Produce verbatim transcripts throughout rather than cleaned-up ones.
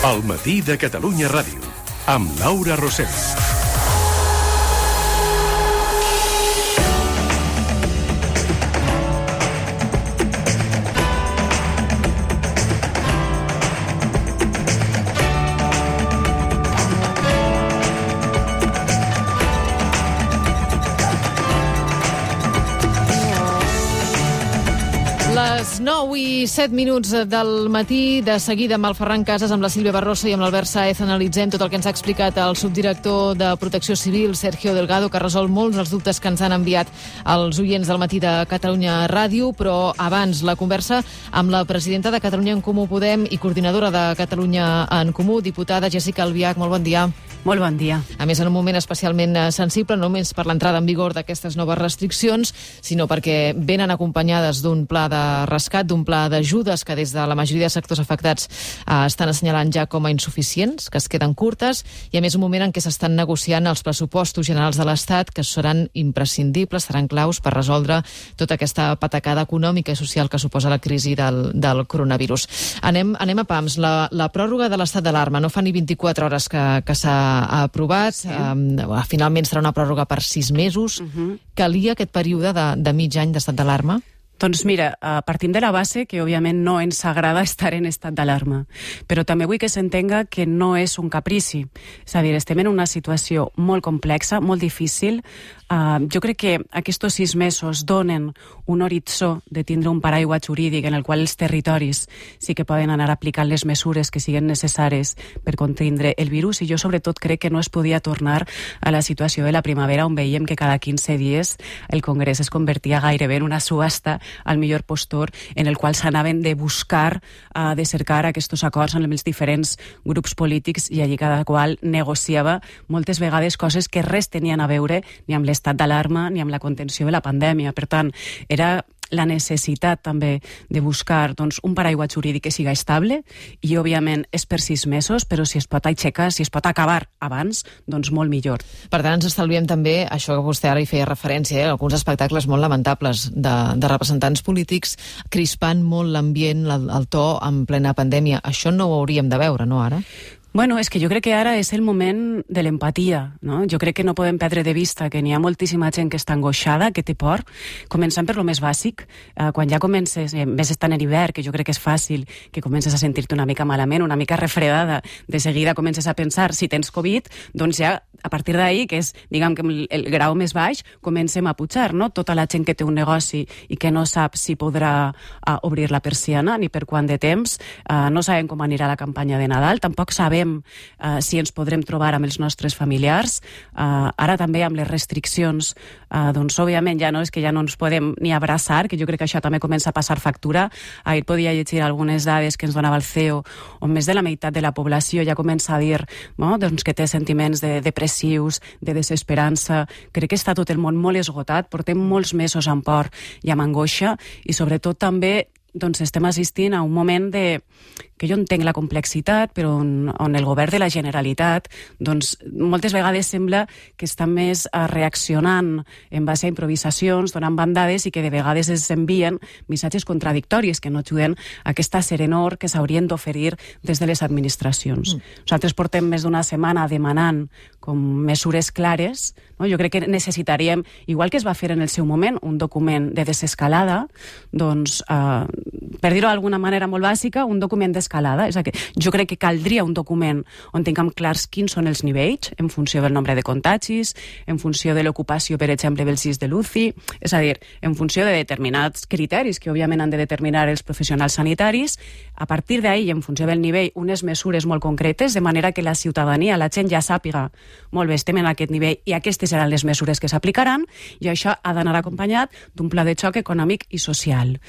El matí de Catalunya Ràdio, amb Laura Rosell. Les nou i set minuts del matí, de seguida amb el Ferran Casas, amb la Sílvia Barroso i amb l'Albert Sáez analitzem tot el que ens ha explicat el subdirector de Protecció Civil, Sergio Delgado, que ha resolt molts dels dubtes que ens han enviat els oients del matí de Catalunya Ràdio, però abans la conversa amb la presidenta de Catalunya en Comú Podem i coordinadora de Catalunya en Comú, diputada Jéssica Albiach. Molt bon dia. Molt bon dia. A més, en un moment especialment sensible, no només per l'entrada en vigor d'aquestes noves restriccions, sinó perquè venen acompanyades d'un pla de rescat, d'un pla d'ajudes que des de la majoria de sectors afectats eh, estan assenyalant ja com a insuficients, que es queden curtes, i a més un moment en què s'estan negociant els pressupostos generals de l'Estat, que seran imprescindibles, seran claus per resoldre tota aquesta patacada econòmica i social que suposa la crisi del, del coronavirus. Anem, anem a pams. La, la pròrroga de l'estat d'alarma no fa ni vint-i-quatre hores que, que s'ha aprovat. Sí. Um, finalment serà una pròrroga per sis mesos. Uh-huh. Calia aquest període de, de mig any d'estat d'alarma? Doncs mira, uh, partim de la base que òbviament no ens agrada estar en estat d'alarma, però també vull que s'entenga que no és un caprici. És a dir, estem en una situació molt complexa, molt difícil. Uh, jo crec que aquests sis mesos donen un horitzó de tindre un paraigua jurídic en el qual els territoris sí que poden anar aplicant les mesures que siguin necessàries per contindre el virus, i jo sobretot crec que no es podia tornar a la situació de la primavera on veiem que cada quinze dies el Congrés es convertia gairebé en una subhasta al millor postor en el qual s'anaven de buscar, uh, de cercar aquests acords amb els diferents grups polítics, i allí cada qual negociava moltes vegades coses que res tenien a veure ni amb l'estat d'alarma ni amb la contenció de la pandèmia. Per tant, era la necessitat també de buscar doncs, un paraigua jurídic que siga estable, i òbviament és per sis mesos, però si es pot aixecar, si es pot acabar abans, doncs molt millor. Per tant, ens estalviem també això que vostè ara hi feia referència, eh? alguns espectacles molt lamentables de, de representants polítics crispant molt l'ambient, el, el to en plena pandèmia. Això no ho hauríem de veure, no, ara? Bueno, és que jo crec que ara és el moment de l'empatia, no? Jo crec que no podem perdre de vista que n'hi ha moltíssima gent que està angoixada, que té por, començant per lo més bàsic. Eh, quan ja comences, eh, més estant en hivern, que jo crec que és fàcil, que comences a sentir-te una mica malament, una mica refredada, de seguida comences a pensar si tens Covid, doncs ja a partir d'ahir, que és, diguem, que el, el grau més baix, comencem a pujar, no? Tota la gent que té un negoci i que no sap si podrà uh, obrir la persiana ni per quant de temps, uh, no sabem com anirà la campanya de Nadal, tampoc sabem Uh, si ens podrem trobar amb els nostres familiars. Uh, ara també amb les restriccions, uh, doncs òbviament ja no és que ja no ens podem ni abraçar, que jo crec que això també comença a passar factura. Ahir podia llegir algunes dades que ens donava el C E O, on més de la meitat de la població ja comença a dir, no? doncs que té sentiments de depressius, de desesperança. Crec que està tot el món molt esgotat, portem molts mesos amb por i amb angoixa, i sobretot també doncs estem assistint a un moment de que jo entenc la complexitat, però on, on el govern de la Generalitat doncs moltes vegades sembla que està més reaccionant en base a improvisacions, donant bandades, i que de vegades es envien missatges contradictoris que no ajuden a aquesta serenor que s'haurien d'oferir des de les administracions. Mm. Nosaltres portem més d'una setmana demanant com mesures clares, no? Jo crec que necessitaríem, igual que es va fer en el seu moment, un document de desescalada, doncs, eh, per dir-ho d'alguna manera molt bàsica, un document d'escalada. És a dir, jo crec que caldria un document on tinguem clars quins són els nivells en funció del nombre de contagis, en funció de l'ocupació, per exemple, dels llis de l'U C I, és a dir, en funció de determinats criteris que òbviament han de determinar els professionals sanitaris. A partir d'ahir, en funció del nivell, unes mesures molt concretes, de manera que la ciutadania, la gent ja sàpiga, molt bé, estem en aquest nivell i aquestes seran les mesures que s'aplicaran, i això ha d'anar acompanyat d'un pla de xoc econòmic i social.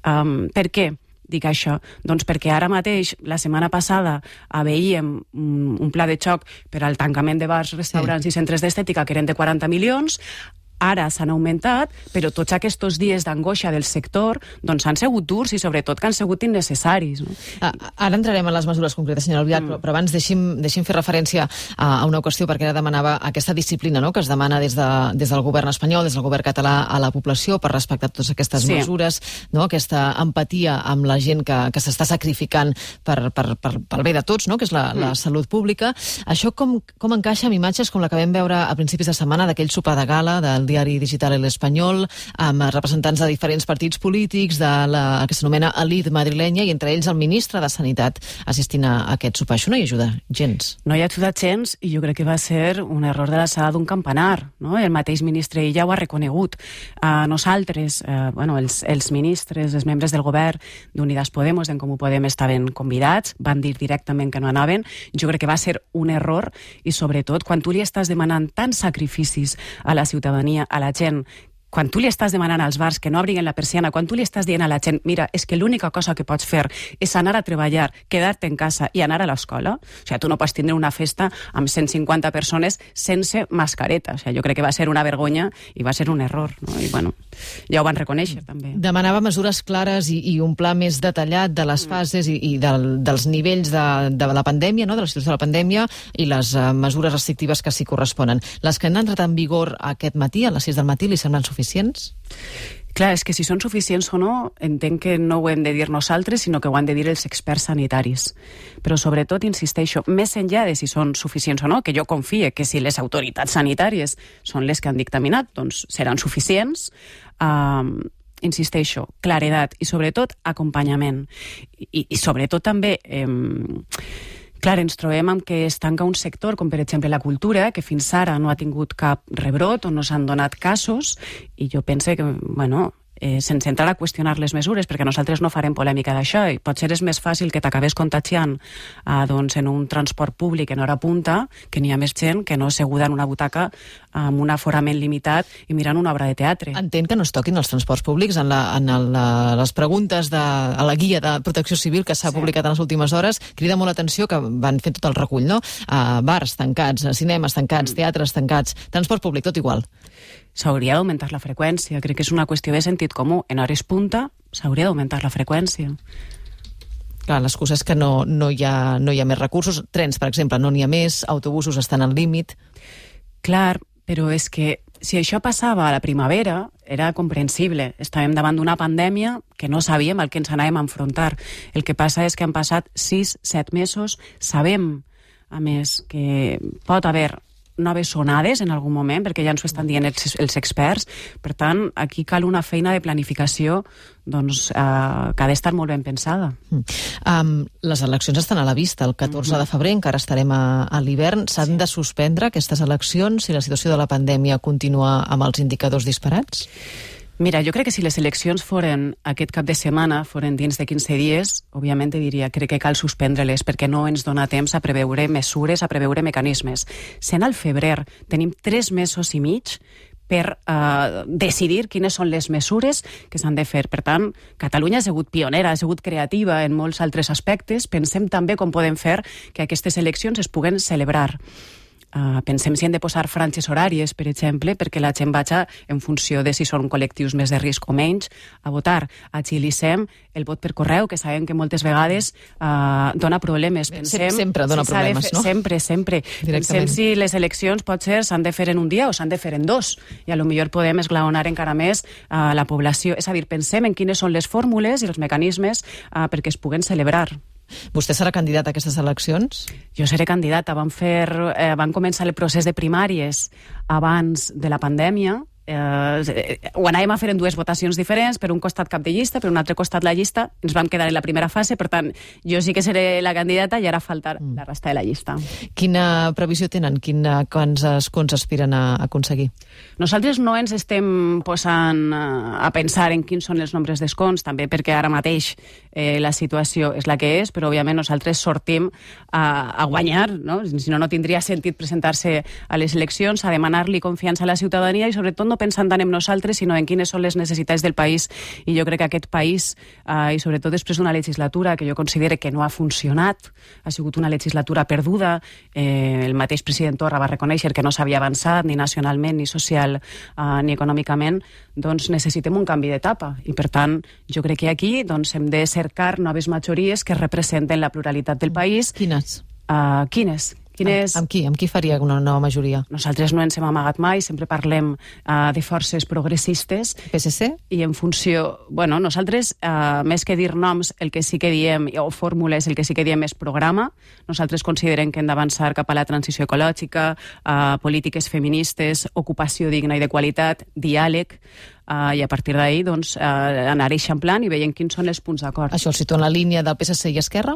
Um, per què dic això? Doncs perquè ara mateix, la setmana passada, veiem un pla de xoc per al tancament de bars, restaurants sí. i centres d'estètica que eren de quaranta milions. ara s'han augmentat, però tots aquests dies d'angoixa del sector doncs han sigut durs i sobretot que han sigut innecessaris. No? Ah, ara entrarem en les mesures concretes, senyora Albiach, mm. però, però abans deixi'm, deixi'm fer referència a, a una qüestió, perquè ara demanava aquesta disciplina, no?, que es demana des, de, des del govern espanyol, des del govern català a la població per respectar totes aquestes sí. mesures, no?, aquesta empatia amb la gent que, que s'està sacrificant per, per, per, pel bé de tots, no?, que és la, mm. la salut pública. Això com, com encaixa amb imatges com la que vam veure a principis de setmana d'aquell sopar de gala del diari digital El Espanyol, amb representants de diferents partits polítics, de la que s'anomena elit madrilenya, i entre ells el ministre de Sanitat assistint a aquest sopar. Això no hi ajuda gens. No hi ha ajudat gens, i jo crec que va ser un error de l'alçada d'un campanar, no? El mateix ministre ja ho ha reconegut. A nosaltres, eh, bueno, els, els ministres, els membres del govern d'Unidas Podemos, d'en Comú Podem, estaven convidats, van dir directament que no anaven. Jo crec que va ser un error, i sobretot quan tu li estàs demanant tants sacrificis a la ciutadania, a la gent, quan tu li estàs demanant als bars que no obriguen la persiana, quan tu li estàs dient a la gent, mira, és que l'única cosa que pots fer és anar a treballar, quedar-te en casa i anar a l'escola, o sigui, tu no pots tindre una festa amb cent cinquanta persones sense mascareta. O sigui, jo crec que va ser una vergonya i va ser un error, no? I bueno, ja ho van reconèixer també. Demanava mesures clares i, i un pla més detallat de les fases i, i del, dels nivells de, de la pandèmia, no?, de la situació de la pandèmia, i les uh, mesures restrictives que s'hi corresponen. Les que han entrat en vigor aquest matí, a les sis del matí, li semblen suficients? Suficients? Clar, és que si són suficients o no, entenc que no ho hem de dir nosaltres, sinó que ho han de dir els experts sanitaris. Però sobretot, insisteixo, més enllà de si són suficients o no, que jo confie que si les autoritats sanitàries són les que han dictaminat, doncs seran suficients, eh, insisteixo, claredat i sobretot acompanyament. I, i sobretot també... Eh, Clar, ens trobem amb que es tanca un sector, com per exemple la cultura, que fins ara no ha tingut cap rebrot o no s'han donat casos, i jo pense que, bueno, eh, sense entrar a qüestionar les mesures, perquè nosaltres no farem polèmica d'això, i potser és més fàcil que t'acabés contagiant eh, doncs, en un transport públic en hora punta, que n'hi ha més gent que no asseguda en una butaca amb un aforament limitat i mirant una obra de teatre. Entenc que no es toquin els transports públics. En, la, en el, les preguntes de, a la guia de Protecció Civil que s'ha sí. publicat en les últimes hores, crida molt l'atenció que van fer tot el recull, no? Uh, bars tancats, cinemes tancats, mm. teatres tancats, transport públic, tot igual. S'hauria d'augmentar la freqüència. Crec que és una qüestió de sentit comú. En hores punta s'hauria d'augmentar la freqüència. Clar, l'excusa és que no, no, hi ha, no hi ha més recursos. Trens, per exemple, no n'hi ha més, autobusos estan al límit. Clar, però és que si això passava a la primavera, era comprensible. Estàvem davant d'una pandèmia que no sabíem al que ens anàvem a enfrontar. El que passa és que han passat sis, set mesos. Sabem, a més, que pot haver noves onades en algun moment, perquè ja ens ho estan dient els, els experts. Per tant, aquí cal una feina de planificació doncs, eh, que ha d'estar molt ben pensada. Mm. Um, les eleccions estan a la vista. El catorze mm-hmm. de febrer encara estarem a, a l'hivern. S'han sí. de suspendre aquestes eleccions si la situació de la pandèmia continua amb els indicadors disparats? Mira, jo crec que si les eleccions foren aquest cap de setmana, foren dins de quinze dies, òbviament diria, crec que cal suspendre-les perquè no ens dona temps a preveure mesures, a preveure mecanismes. Sent al febrer, tenim tres mesos i mig per uh, decidir quines són les mesures que s'han de fer. Per tant, Catalunya ha sigut pionera, ha sigut creativa en molts altres aspectes. Pensem també com podem fer que aquestes eleccions es puguen celebrar. Uh, pensem si hem de posar franges horàries, per exemple, perquè la gent vagi en funció de si són col·lectius més de risc o menys a votar. Agilitzem el vot per correu, que sabem que moltes vegades uh, dona problemes. Pensem, sempre dona si problemes, fer, no? Sempre, sempre. Pensem si les eleccions potser s'han de fer en un dia o s'han de fer en dos, i a lo millor podem esglaonar encara més uh, la població. És a dir, pensem en quines són les fórmules i els mecanismes uh, perquè es puguen celebrar. Vostè serà candidat a aquestes eleccions? Jo seré candidata. Van, fer, eh, van començar el procés de primàries abans de la pandèmia. Eh, ho anàvem a fer en dues votacions diferents, per un costat cap de llista, per un altre costat la llista. Ens vam quedar en la primera fase, per tant, jo sí que seré la candidata i ara falta mm. la resta de la llista. Quina previsió tenen? Quina, quants escons aspiren a aconseguir? Nosaltres no ens estem posant a pensar en quins són els nombres d'escons, també perquè ara mateix eh, la situació és la que és, però òbviament nosaltres sortim a, a guanyar, no? Si no, no tindria sentit presentar-se a les eleccions, a demanar-li confiança a la ciutadania i sobretot no pensant tant en nosaltres, sinó en quines són les necessitats del país. I jo crec que aquest país, eh, i sobretot després d'una legislatura que jo considero que no ha funcionat, ha sigut una legislatura perduda, eh, el mateix president Torra va reconèixer que no s'havia avançat ni nacionalment, ni social, eh, ni econòmicament, doncs necessitem un canvi d'etapa. I per tant, jo crec que aquí doncs, hem de cercar noves majories que representen la pluralitat del país. Quines? Uh, quines? Quines... Amb, amb qui? Amb qui faria una nova majoria? Nosaltres no ens hem amagat mai, sempre parlem uh, de forces progressistes. P S C? I en funció... Bueno, nosaltres, uh, més que dir noms, el que sí que diem, o fórmules, el que sí que diem és programa. Nosaltres considerem que hem d'avançar cap a la transició ecològica, uh, polítiques feministes, ocupació digna i de qualitat, diàleg, Uh, i a partir d'ahir doncs, uh, anar eixamplant i veient quins són els punts d'acord. Això el situa en la línia del P S C i Esquerra?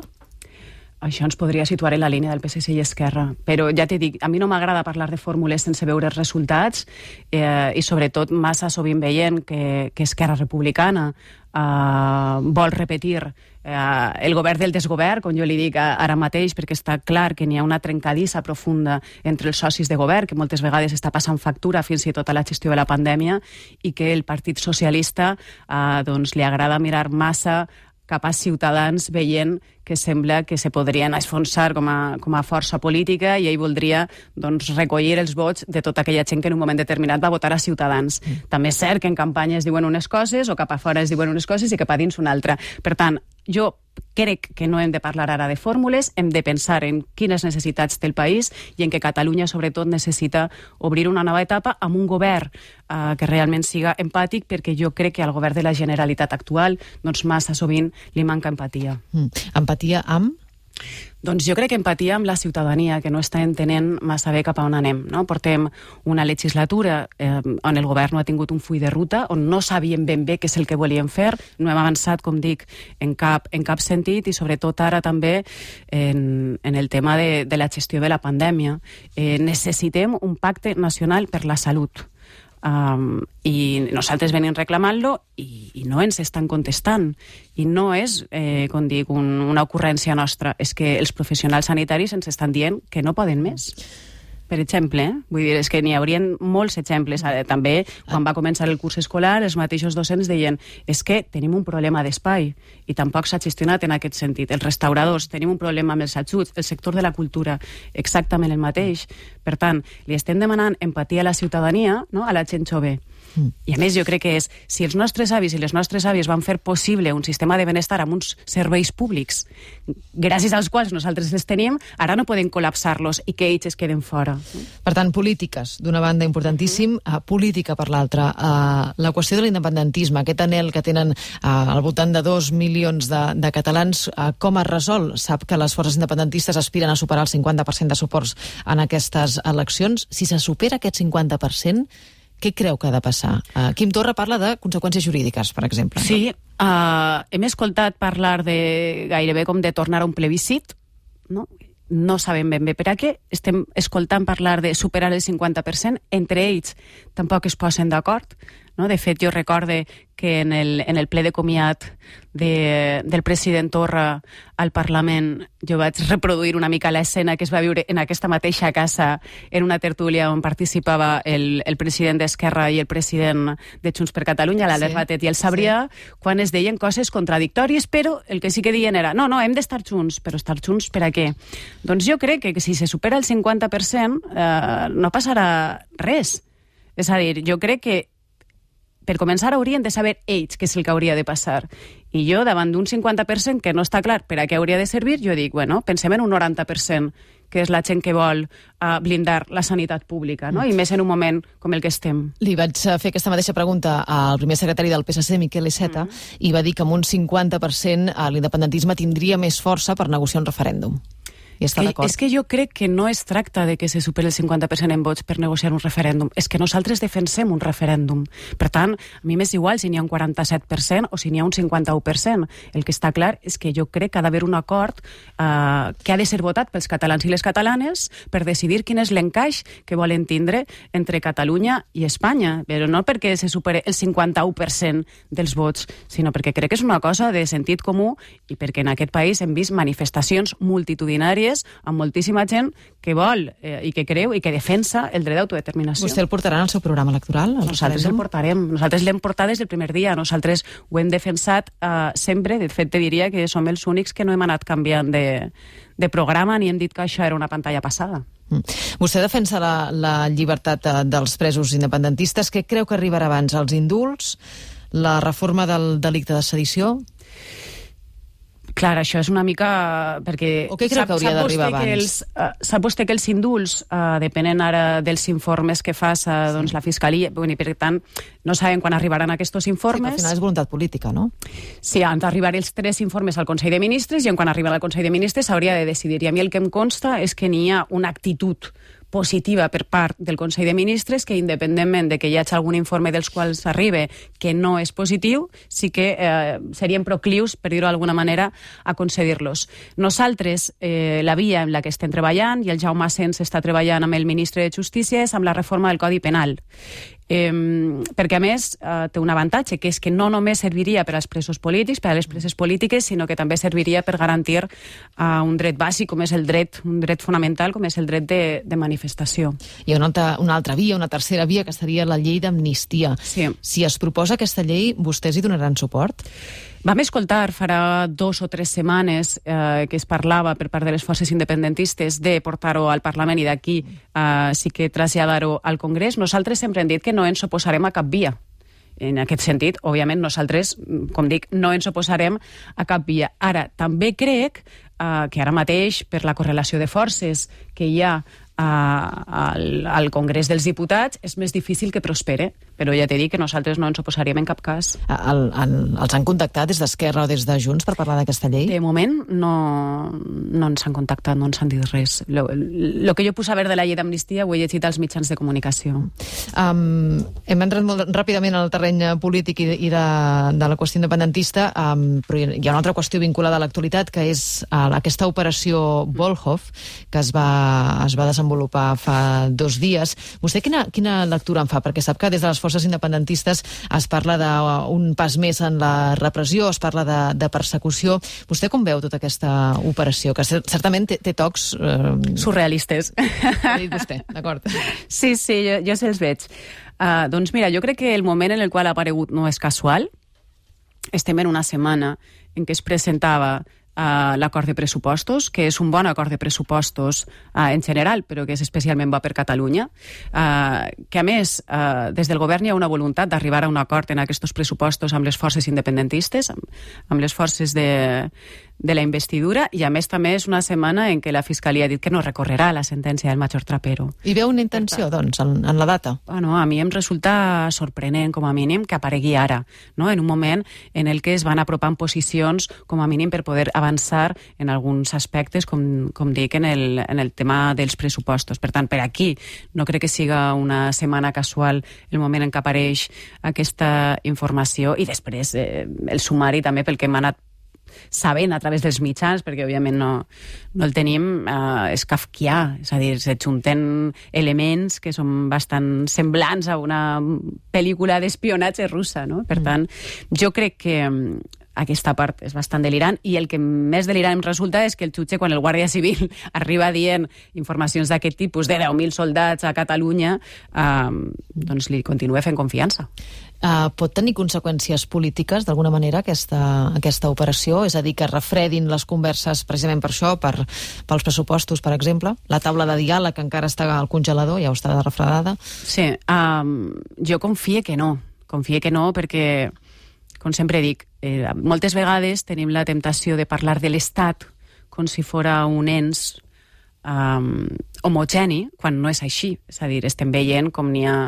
Això ens podria situar en la línia del P S C i Esquerra. Però ja t'he dit, a mi no m'agrada parlar de fórmules sense veure els resultats eh, i sobretot massa sovint veient que, que Esquerra Republicana eh, vol repetir eh, el govern del desgovern, com jo li dic ara mateix, perquè està clar que n'hi ha una trencadissa profunda entre els socis de govern, que moltes vegades està passant factura fins i tot a la gestió de la pandèmia, i que el Partit Socialista eh, doncs, li agrada mirar massa cap a Ciutadans veient que sembla que se podrien esfonsar com a, com a força política i ell voldria doncs, recollir els vots de tota aquella gent que en un moment determinat va votar a Ciutadans. Mm. També és cert que en campanya es diuen unes coses o cap a fora es diuen unes coses i cap a dins una altra. Per tant, jo crec que no hem de parlar ara de fórmules, hem de pensar en quines necessitats té el país i en que Catalunya, sobretot, necessita obrir una nova etapa amb un govern eh, que realment siga empàtic, perquè jo crec que al govern de la Generalitat actual doncs massa sovint li manca empatia. Mm. Empatia amb? Doncs jo crec que empatia amb la ciutadania, que no està entenent massa bé cap a on anem. No? Portem una legislatura eh, on el govern no ha tingut un full de ruta, on no sabíem ben bé què és el que volíem fer, no hem avançat, com dic, en cap, en cap sentit, i sobretot ara també en, en el tema de, de la gestió de la pandèmia. Eh, necessitem un pacte nacional per la salut. Um, i nosaltres venim reclamant-lo i, i no ens estan contestant i no és, eh, com dic, un, una ocurrència nostra, és que els professionals sanitaris ens estan dient que no poden més. Per exemple, eh? Vull dir, és que n'hi haurien molts exemples. També, quan va començar el curs escolar, els mateixos docents deien és que tenim un problema d'espai i tampoc s'ha gestionat en aquest sentit. Els restauradors, tenim un problema amb els ajuts, el sector de la cultura, exactament el mateix. Per tant, li estem demanant empatia a la ciutadania, no? A la gent jove. Mm. I a més jo crec que és, si els nostres avis i les nostres àvies van fer possible un sistema de benestar amb uns serveis públics gràcies als quals nosaltres els tenim, ara no podem col·lapsar-los i que ells es queden fora. Per tant, polítiques, d'una banda importantíssim, uh, política per l'altra. Uh, la qüestió de l'independentisme, aquest anhel que tenen uh, al voltant de dos milions de, de catalans, uh, com es resol? Sap que les forces independentistes aspiren a superar el cinquanta per cent de suports en aquestes eleccions. Si se supera aquest cinquanta per cent, què creu que ha de passar? Uh, Quim Torra parla de conseqüències jurídiques, per exemple. Sí, uh, hem escoltat parlar de gairebé com de tornar a un plebiscit, no? No sabem ben bé per a què. Estem escoltant parlar de superar el cinquanta per cent. Entre ells tampoc es posen d'acord. No? De fet, jo recorde que en el, en el ple de comiat de, del president Torra al Parlament jo vaig reproduir una mica l'escena que es va viure en aquesta mateixa casa en una tertúlia on participava el, el president d'Esquerra i el president de Junts per Catalunya, l'Albert sí, Batet i el Sabrià, sí. Quan es deien coses contradictòries, però el que sí que deien era no, no, hem d'estar junts, però estar junts per a què? Doncs jo crec que si se supera el cinquanta per cent eh, no passarà res. És a dir, jo crec que per començar haurien de saber ells què és el que hauria de passar. I jo, davant d'un cinquanta per cent que no està clar per a què hauria de servir, jo dic, bueno, pensem en un noranta per cent, que és la gent que vol uh, blindar la sanitat pública, no? I més en un moment com el que estem. Li vaig fer aquesta mateixa pregunta al primer secretari del P S C, Miquel Iceta, mm. i va dir que amb un cinquanta per cent l'independentisme tindria més força per negociar un referèndum. I està d'acord. És que jo crec que no es tracta de que se superi el cinquanta per cent en vots per negociar un referèndum, és que nosaltres defensem un referèndum. Per tant, a mi m'és igual si n'hi ha un quaranta-set per cent o si n'hi ha un cinquanta-u per cent. El que està clar és que jo crec que ha d'haver un acord eh, que ha de ser votat pels catalans i les catalanes per decidir quin és l'encaix que volen tindre entre Catalunya i Espanya, però no perquè se superi el cinquanta-u per cent dels vots, sinó perquè crec que és una cosa de sentit comú i perquè en aquest país hem vist manifestacions multitudinàries majories, amb moltíssima gent que vol eh, i que creu i que defensa el dret d'autodeterminació. Vostè el portarà en el seu programa electoral? El Nosaltres el portarem. Nosaltres l'hem portat des del primer dia. Nosaltres ho hem defensat eh, sempre. De fet, te diria que som els únics que no hem anat canviant de, de programa ni hem dit que això era una pantalla passada. Mm. Vostè defensa la, la llibertat de, dels presos independentistes. Què creu que arribarà abans? Els indults? La reforma del delicte de sedició? Clar, això és una mica... perquè o què creu que hauria d'arribar abans? Els, uh, sap vostè que els indults uh, depenen ara dels informes que faça uh, doncs, la Fiscalia, bueno, i per tant no sabem quan arribaran aquests informes. Sí, al final és voluntat política, no? Sí, han d'arribar els tres informes al Consell de Ministres i en quan arriben al Consell de Ministres s'hauria de decidir. I a mi el que em consta és que n'hi ha una actitud positiva per part del Consell de Ministres que, independentment de que hi hagi algun informe dels quals arriba que no és positiu, sí que eh, serien proclius, per dir-ho d'alguna manera, a concedir-los. Nosaltres, eh, la via en la que estem treballant, i el Jaume Asens està treballant amb el ministre de Justícia, és amb la reforma del Codi Penal. Eh, perquè a més eh, té un avantatge, que és que no només serviria per als presos polítics, per a les preses polítiques, sinó que també serviria per garantir eh, un dret bàsic com és el dret, un dret fonamental com és el dret de, de manifestació. Hi ha una altra, una altra via, una tercera via, que seria la llei d'amnistia. Sí. Si es proposa aquesta llei, vostès hi donaran suport? Vam escoltar farà dos o tres setmanes eh, que es parlava per part de les forces independentistes de portar-ho al Parlament i d'aquí eh, sí que traslladar-ho al Congrés. Nosaltres sempre hem dit que no ens oposarem a cap via. En aquest sentit, òbviament, nosaltres, com dic, no ens oposarem a cap via. Ara, també crec eh, que ara mateix, per la correlació de forces que hi ha al, al Congrés dels Diputats, és més difícil que prospere, però ja t'he dit que nosaltres no ens oposaríem en cap cas. El, el, els han contactat des d'Esquerra o des de Junts per parlar d'aquesta llei? De moment no, no ens han contactat, no ens han dit res. El que jo puc saber de la llei d'amnistia ho he llegit als mitjans de comunicació. Um, hem entrat molt ràpidament al terreny polític i, i de, de la qüestió independentista, um, però hi ha una altra qüestió vinculada a l'actualitat, que és uh, aquesta operació Volhov, que es va, es va desenvolupar fa dos dies. Vostè quina, quina lectura en fa? Perquè sap que des de les forces independentistes es parla d'un pas més en la repressió, es parla de, de persecució. Vostè com veu tota aquesta operació? Que certament té, té tocs... Eh... surrealistes. Ha dit vostè, d'acord. Sí, sí, jo, jo se'ls veig. Uh, doncs mira, jo crec que el moment en el qual ha aparegut no és casual. Estem en una setmana en què es presentava Uh, l'acord de pressupostos, que és un bon acord de pressupostos uh, en general, però que és especialment bo per Catalunya, uh, que a més uh, des del govern hi ha una voluntat d'arribar a un acord en aquests pressupostos amb les forces independentistes, amb, amb les forces de, de la investidura, i a més també és una setmana en què la Fiscalia ha dit que no recorrerà la sentència del Major Trapero. I veu una intenció, doncs, en, en la data? Bueno, a mi em resulta sorprenent, com a mínim, que aparegui ara, no? En un moment en el que es van apropant posicions, com a mínim, per poder avançar en alguns aspectes, com, com dic, en el, en el tema dels pressupostos. Per tant, per aquí no crec que siga una setmana casual el moment en què apareix aquesta informació, i després eh, el sumari també pel que hem anat sabent a través dels mitjans, perquè òbviament no, no el tenim, eh, és kafkià, és a dir, se junten elements que són bastant semblants a una pel·lícula d'espionatge russa, no? Per tant, jo crec que aquesta part és bastant delirant, i el que més delirant em resulta és que el jutge, quan el Guàrdia Civil arriba dient informacions d'aquest tipus de deu mil soldats a Catalunya, eh, doncs li continua fent confiança. Uh, pot tenir conseqüències polítiques, d'alguna manera, aquesta, aquesta operació? És a dir, que refredin les converses precisament per això, per, pels pressupostos, per exemple? La taula de diàleg encara està al congelador, ja està refredada? Sí, um, jo confie que no. Confie que no perquè, com sempre dic, eh, moltes vegades tenim la temptació de parlar de l'Estat com si fora un ens um, homogeni, quan no és així. És a dir, estem veient com n'hi ha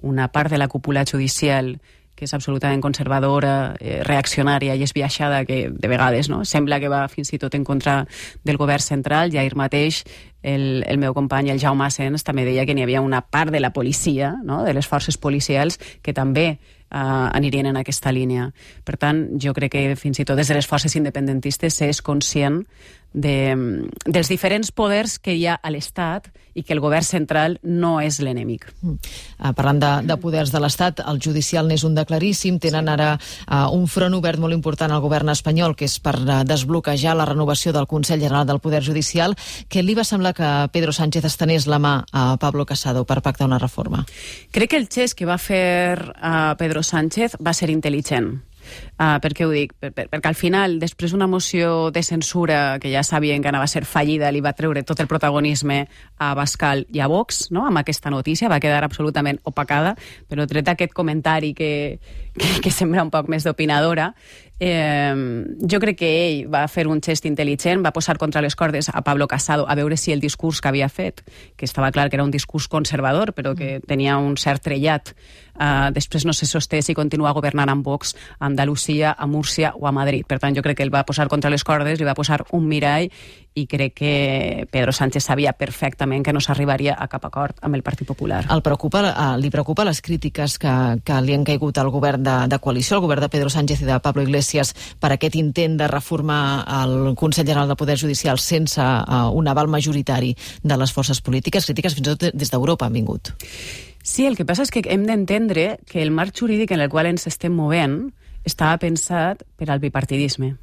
una part de la cúpula judicial que és absolutament conservadora, eh, reaccionària i esbiaixada, que de vegades no sembla que va fins i tot en contra del govern central. I ahir mateix el, el meu company, el Jaume Asens, també deia que n'hi havia una part de la policia, no? De les forces policials, que també eh, anirien en aquesta línia. Per tant, jo crec que fins i tot des de les forces independentistes s'és conscient de, dels diferents poders que hi ha a l'Estat i que el govern central no és l'enemic. Mm. Uh, parlant de, de poders de l'Estat, el judicial n'és un de claríssim. Tenen ara uh, un front obert molt important al govern espanyol, que és per uh, desbloquejar la renovació del Consell General del Poder Judicial. Què li va semblar que Pedro Sánchez estenés la mà a Pablo Casado per pactar una reforma? Crec que el gest que va fer uh, Pedro Sánchez va ser intel·ligent. Uh, per què ho dic? Per, per, perquè al final, després d'una moció de censura que ja sabien que anava a ser fallida, li va treure tot el protagonisme a Abascal i a Vox, no? Amb aquesta notícia, va quedar absolutament opacada, però tret aquest comentari que, que, que sembla un poc més d'opinadora, eh, jo crec que ell va fer un gest intel·ligent, va posar contra les cordes a Pablo Casado a veure si el discurs que havia fet, que estava clar que era un discurs conservador, però que tenia un cert trellat, eh, després no se sosté si continua governant amb Vox a Andalusia, a Múrcia o a Madrid. Per tant, jo crec que ell va posar contra les cordes, li va posar un mirall, i crec que Pedro Sánchez sabia perfectament que no s'arribaria a cap acord amb el Partit Popular. El preocupa, li preocupa les crítiques que, que li han caigut al govern de, de coalició, al govern de Pedro Sánchez i de Pablo Iglesias, per aquest intent de reformar el Consell General del Poder Judicial sense uh, un aval majoritari de les forces polítiques? Crítiques fins i tot des d'Europa han vingut. Sí, el que passa és que hem d'entendre que el marc jurídic en el qual ens estem movent estava pensat per al bipartidisme.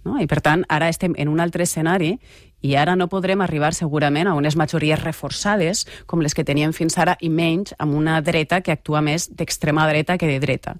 No? I per tant, ara estem en un altre escenari i ara no podrem arribar segurament a unes majories reforçades com les que teníem fins ara, i menys amb una dreta que actua més d'extrema dreta que de dreta.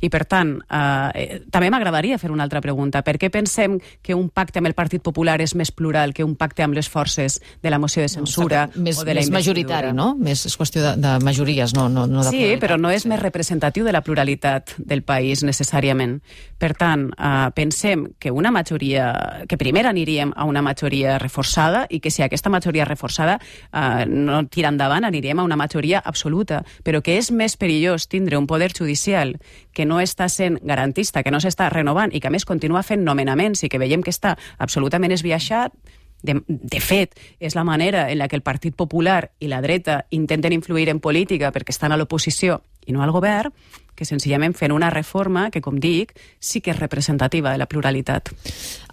I per tant, eh, també m'agradaria fer una altra pregunta. Per què pensem que un pacte amb el Partit Popular és més plural que un pacte amb les forces de la moció de censura no, més, o de la més majoritari, no? Més, és qüestió de, de majories, no, no, no de sí, pluralitat. Però no és més representatiu de la pluralitat del país necessàriament. Per tant, eh, pensem que una majoria, que primer aniríem a una majoria reforçada i que si aquesta majoria reforçada eh, no tira endavant, aniríem a una majoria absoluta, però que és més perillós tindre un poder judicial que no està sent garantista, que no s'està renovant i que a més continua fent nomenaments i que veiem que està absolutament esbiaixat. De, de fet, és la manera en la que el Partit Popular i la dreta intenten influir en política perquè estan a l'oposició i no al govern, que senzillament fent una reforma que, com dic, sí que és representativa de la pluralitat.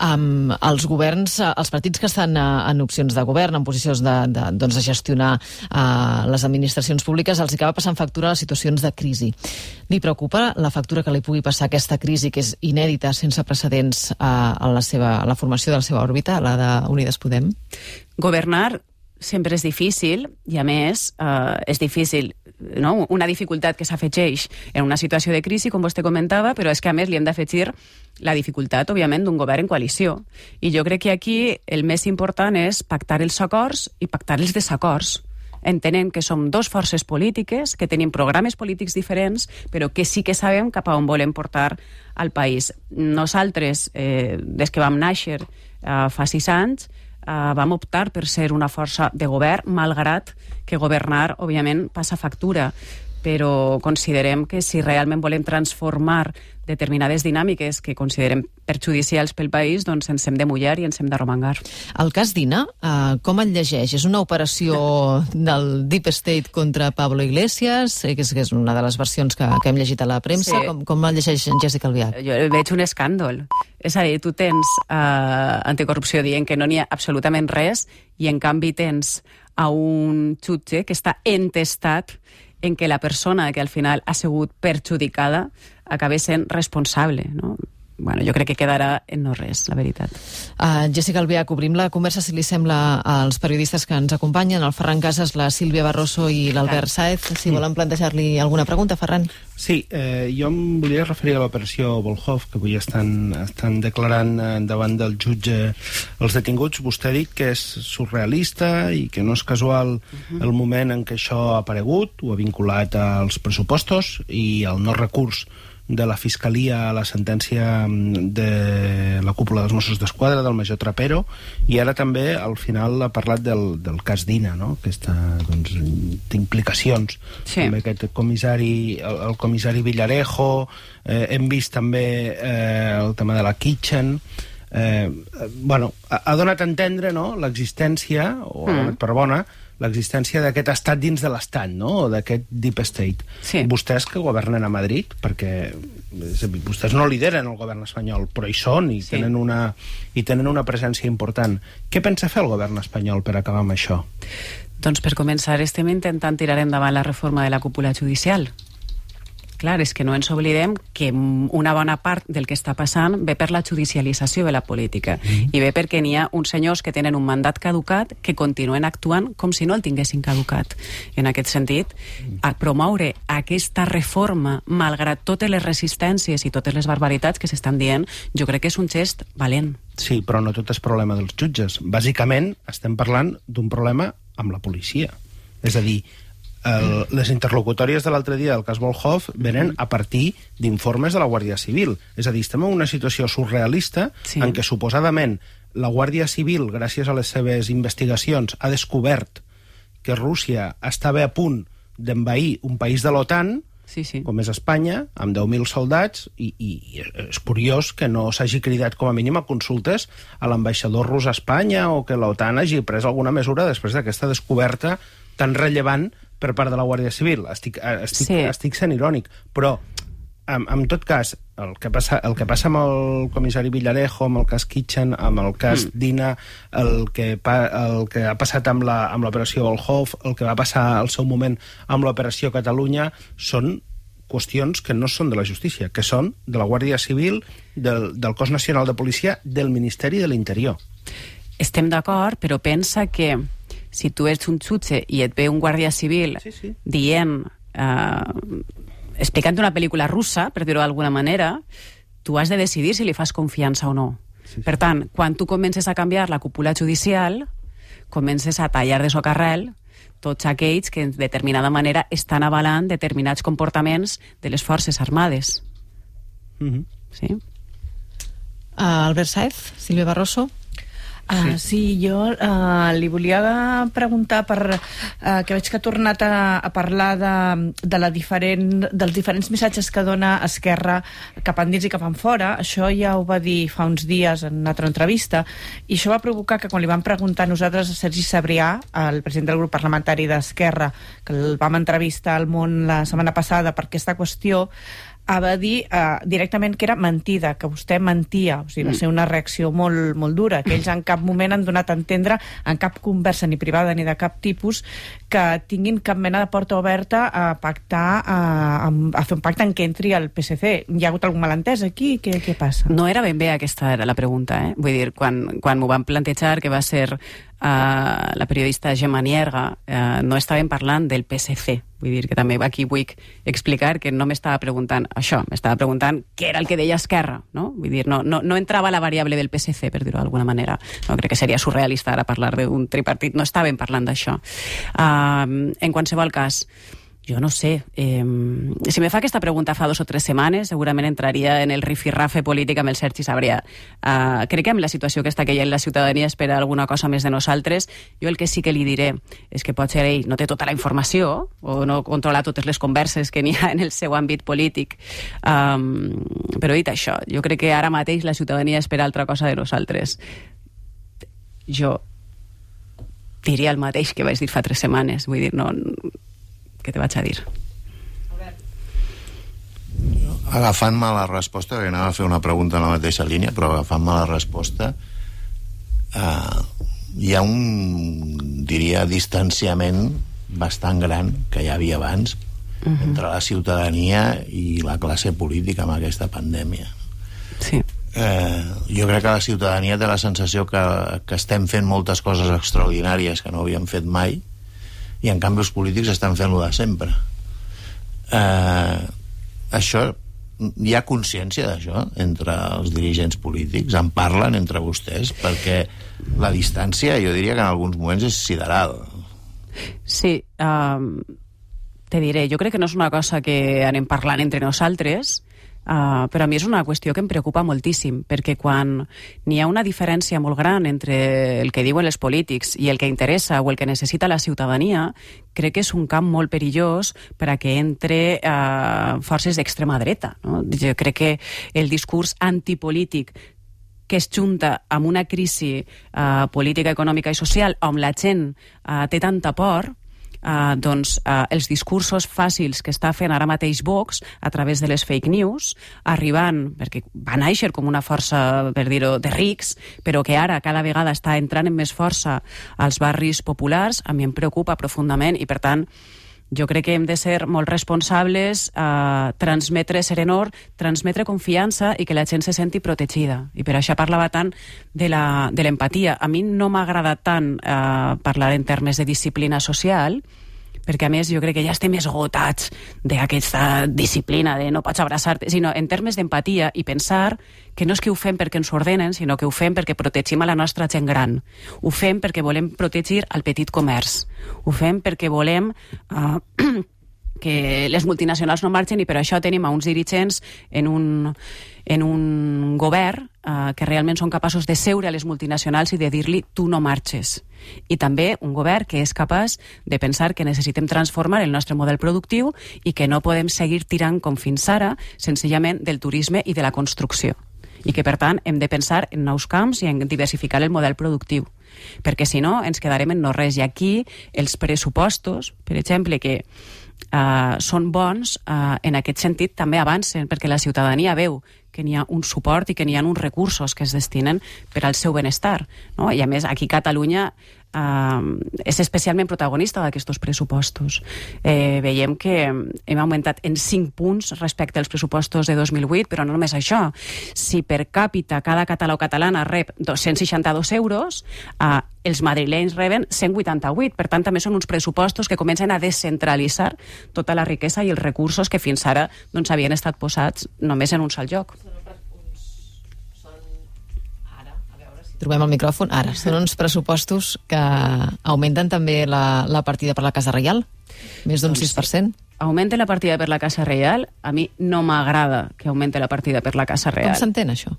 Um, els governs, els partits que estan uh, en opcions de govern, en posicions de, de, doncs de gestionar uh, les administracions públiques, els acaba passant factura a les situacions de crisi. Li preocupa la factura que li pugui passar aquesta crisi, que és inèdita, sense precedents uh, a, la seva, a la formació de la seva òrbita, la d'Unides Podem? Governar sempre és difícil i, a més, eh, és difícil, no? Una dificultat que s'afegeix en una situació de crisi, com vostè comentava, però és que, a més, li hem d'afegir la dificultat, òbviament, d'un govern en coalició. I jo crec que aquí el més important és pactar els acords i pactar els desacords. Entenem que som dos forces polítiques, que tenim programes polítics diferents, però que sí que sabem cap a on volem portar al país. Nosaltres, eh, des que vam néixer eh, fa sis anys, Uh, vam optar per ser una força de govern, malgrat que governar, òbviament, passa factura. Però considerem que si realment volem transformar determinades dinàmiques que considerem perjudicials pel país, doncs ens hem de mullar i ens hem d'arromangar. El cas Dina, uh, com el llegeix? És una operació del Deep State contra Pablo Iglesias, que és, que és una de les versions que, que hem llegit a la premsa. Sí. Com, com el llegeix Jessica Albiach? Jo veig un escàndol. És a dir, tu tens uh, anticorrupció dient que no n'hi ha absolutament res i en canvi tens a un jutge que està entestat en que la persona que al final ha sigut perjudicada acabi sent responsable, no? Bueno, jo crec que quedarà en no res, la veritat. Uh, Jessica Albiach, obrim la conversa, si li sembla, als periodistes que ens acompanyen, el Ferran Casas, la Sílvia Barroso i l'Albert Sáez. Si volen plantejar-li alguna pregunta, Ferran. Sí, eh, jo em volia referir a l'operació Volhov, que avui estan, estan declarant davant del jutge els detinguts. Vostè ha dit que és surrealista i que no és casual uh-huh. el moment en què això ha aparegut, ho ha vinculat als pressupostos i al no recurs de la Fiscalia a la sentència de la cúpula dels Mossos d'Esquadra, del major Trapero, i ara també al final ha parlat del, del cas Dina, no? Aquesta, doncs, d'implicacions. Sí. També aquest comissari, el, el comissari Villarejo, eh, hem vist també eh, el tema de la Kitchen. eh, bueno, ha, ha donat a entendre, no?, l'existència, o ha donat per bona, l'existència d'aquest estat dins de l'estat, no?, o d'aquest deep state. Sí. Vostès que governen a Madrid, perquè és a dir, vostès no lideren el govern espanyol, però hi són i, sí. tenen una, i tenen una presència important. Què pensa fer el govern espanyol per acabar amb això? Doncs per començar estem intentant tirar endavant la reforma de la cúpula judicial. Clar, és que no ens oblidem que una bona part del que està passant ve per la judicialització de la política mm. i ve perquè n'hi ha uns senyors que tenen un mandat caducat que continuen actuant com si no el tinguessin caducat. En aquest sentit, a promoure aquesta reforma, malgrat totes les resistències i totes les barbaritats que s'estan dient, jo crec que és un gest valent. Sí, però no tot és problema dels jutges. Bàsicament, estem parlant d'un problema amb la policia. És a dir, El, les interlocutòries de l'altre dia del cas Volhov venen a partir d'informes de la Guàrdia Civil. És a dir, estem en una situació surrealista sí. en què suposadament la Guàrdia Civil, gràcies a les seves investigacions, ha descobert que Rússia estava a punt d'envair un país de l'OTAN, sí, sí. com és Espanya, amb deu mil soldats, i, i és curiós que no s'hagi cridat com a mínim a consultes a l'ambaixador rus a Espanya o que l'OTAN hagi pres alguna mesura després d'aquesta descoberta tan rellevant per part de la Guàrdia Civil. Estic, estic, sí. estic sent irònic, però en, en tot cas, el que, passa, el que passa amb el comissari Villarejo, amb el cas Kitchen, amb el cas mm. Dina, el que, pa, el que ha passat amb l'operació Volhov, el que va passar al seu moment amb l'operació Catalunya, són qüestions que no són de la justícia, que són de la Guàrdia Civil, del, del Cos Nacional de Policia, del Ministeri de l'Interior. Estem d'acord, però pensa que si tu ets un jutge i et ve un guàrdia civil sí, sí. dient, eh, explicant una pel·lícula russa, per dir-ho d'alguna manera, tu has de decidir si li fas confiança o no. Sí, sí. Per tant, quan tu comences a canviar la cúpula judicial, comences a tallar de socarrel tots aquells que en determinada manera estan avalant determinats comportaments de les forces armades. Mm-hmm. Sí? Uh, Albert Sáez, Sílvia Barroso. Uh, sí, jo uh, li volia preguntar per, uh, que veig que ha tornat a, a parlar de, de la diferent, dels diferents missatges que dona Esquerra cap endins i cap enfora. Això ja ho va dir fa uns dies en una altra entrevista, i això va provocar que quan li vam preguntar nosaltres a Sergi Sabrià, el president del grup parlamentari d'Esquerra, que el vam entrevistar al Món la setmana passada per aquesta qüestió, va dir uh, directament que era mentida, que vostè mentia. O sigui, va ser una reacció molt, molt dura, que ells en cap moment han donat a entendre, en cap conversa ni privada ni de cap tipus, que tinguin cap mena de porta oberta a pactar, a, a fer un pacte en què entri el P S C. Hi ha hagut algun malentès aquí? Què, què passa? No era ben bé aquesta era la pregunta, eh? Vull dir, quan, quan m'ho van plantejar, que va ser Uh, la periodista Gemma Nierga, uh, no estàvem parlant del P S C. Vull dir que també aquí vull explicar que no m'estava preguntant això, m'estava preguntant què era el que deia Esquerra, no? Vull dir, no, no, no entrava la variable del P S C, per dir-ho d'alguna manera. No, crec que seria surrealista ara parlar d'un tripartit, no estàvem parlant d'això. Uh, en qualsevol cas, jo no sé, eh, si me fa aquesta pregunta fa dos o tres setmanes, segurament entraria en el rifirrafe polític amb el Sergi Sabrià. Uh, crec que amb la situació que està que hi ha en la ciutadania espera alguna cosa més de nosaltres. Jo el que sí que li diré és que potser ell no té tota la informació o no controla totes les converses que n'hi ha en el seu àmbit polític. Um, però dit això, jo crec que ara mateix la ciutadania espera altra cosa de nosaltres. Jo diria el mateix que vaig dir fa tres setmanes. Vull dir, no... Què te vaig a dir? Agafant-me la resposta, que anava a fer una pregunta en la mateixa línia, però agafant-me la resposta, eh, hi ha un, diria, distanciament bastant gran que hi havia abans uh-huh. entre la ciutadania i la classe política amb aquesta pandèmia. Sí. Eh, jo crec que la ciutadania té la sensació que, que estem fent moltes coses extraordinàries que no havíem fet mai, i en canvi els polítics estan fent-lo de sempre. Eh, això, hi ha consciència d'això entre els dirigents polítics? En parlen entre vostès? Perquè la distància, jo diria que en alguns moments és sideral. Sí, um, te diré, jo crec que no és una cosa que anem parlant entre nosaltres, Uh, però a mi és una qüestió que em preocupa moltíssim, perquè quan n'hi ha una diferència molt gran entre el que diuen els polítics i el que interessa o el que necessita la ciutadania, crec que és un camp molt perillós per a que entre uh, forces d'extrema dreta, no? Jo crec que el discurs antipolític que es junta amb una crisi uh, política, econòmica i social on la gent uh, té tanta por, Uh, doncs uh, els discursos fàcils que està fent ara mateix Vox a través de les fake news, arribant, perquè va néixer com una força, per dir-ho, de rics, però que ara cada vegada està entrant en més força als barris populars, a mi em preocupa profundament i, per tant, jo crec que hem de ser molt responsables, eh, transmetre serenor, transmetre confiança i que la gent se senti protegida. I per això parlava tant de la, de l'empatia. A mi no m'ha agradat tant eh, parlar en termes de disciplina social, perquè a més jo crec que ja estem esgotats d'aquesta disciplina de no pots abraçar-te, sinó en termes d'empatia i pensar que no és que ho fem perquè ens ho ordenen, sinó que ho fem perquè protegim a la nostra gent gran. Ho fem perquè volem protegir el petit comerç. Ho fem perquè volem uh, que les multinacionals no marxen i per això tenim a uns dirigents en un, en un govern uh, que realment són capaços de seure a les multinacionals i de dir-li tu no marxes. I també un govern que és capaç de pensar que necessitem transformar el nostre model productiu i que no podem seguir tirant com fins ara senzillament del turisme i de la construcció. I que, per tant, hem de pensar en nous camps i en diversificar el model productiu. Perquè, si no, ens quedarem en no res. I aquí els pressupostos, per exemple, que Uh, són bons, uh, en aquest sentit també avancen, perquè la ciutadania veu que n'hi ha un suport i que n'hi ha uns recursos que es destinen per al seu benestar, no? I a més aquí Catalunya uh, és especialment protagonista d'aquests pressupostos. Eh, veiem que hem augmentat en cinc punts respecte als pressupostos de dos mil vuit, però no només això. Si per càpita cada català o catalana rep dos-cents seixanta-dos euros, uh, els madrilenys reben cent vuitanta-vuit. Per tant, també són uns pressupostos que comencen a descentralitzar tota la riquesa i els recursos que fins ara doncs, havien estat posats només en un sol lloc. Trobem el micròfon. Ara, són uns pressupostos que augmenten també la, la partida per la Casa Reial, més d'un sis per cent. Augmenta la partida per la Casa Reial. A mi no m'agrada que augmente la partida per la Casa Reial. Com s'entén, això?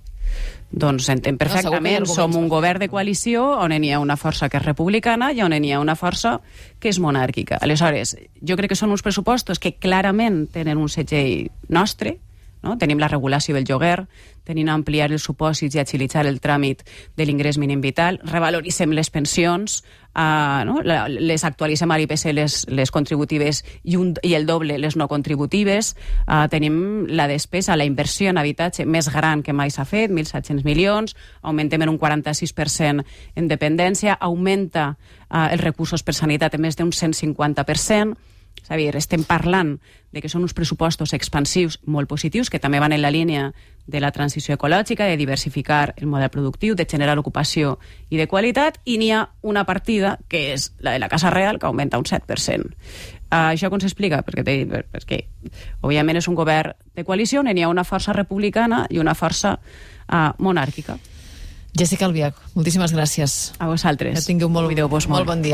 Doncs s'entén perfectament. No, som un govern de coalició on n'hi ha una força que és republicana i on n'hi ha una força que és monàrquica. Aleshores, jo crec que són uns pressupostos que clarament tenen un segell nostre, no? Tenim la regulació del lloguer, tenim ampliar els supòsits i agilitzar el tràmit de l'ingrés mínim vital, revaloritzem les pensions, uh, no? les actualitzem a l'I P C les, les contributives i, un, i el doble les no contributives, uh, tenim la despesa, la inversió en habitatge més gran que mai s'ha fet, mil set-cents milions, augmentem en un quaranta-sis per cent en dependència, augmenta uh, els recursos per sanitat en més d'un cent cinquanta per cent. És a dir, estem parlant de que són uns pressupostos expansius molt positius que també van en la línia de la transició ecològica, de diversificar el model productiu, de generar ocupació i de qualitat, i n'hi ha una partida que és la de la Casa Reial que augmenta un set per cent. Uh, això com s'explica? Perquè, perquè òbviament és un govern de coalició on n'hi ha una força republicana i una força uh, monàrquica. Jessica Albiach, moltíssimes gràcies. A vosaltres. Que tingueu molt, molt bon dia.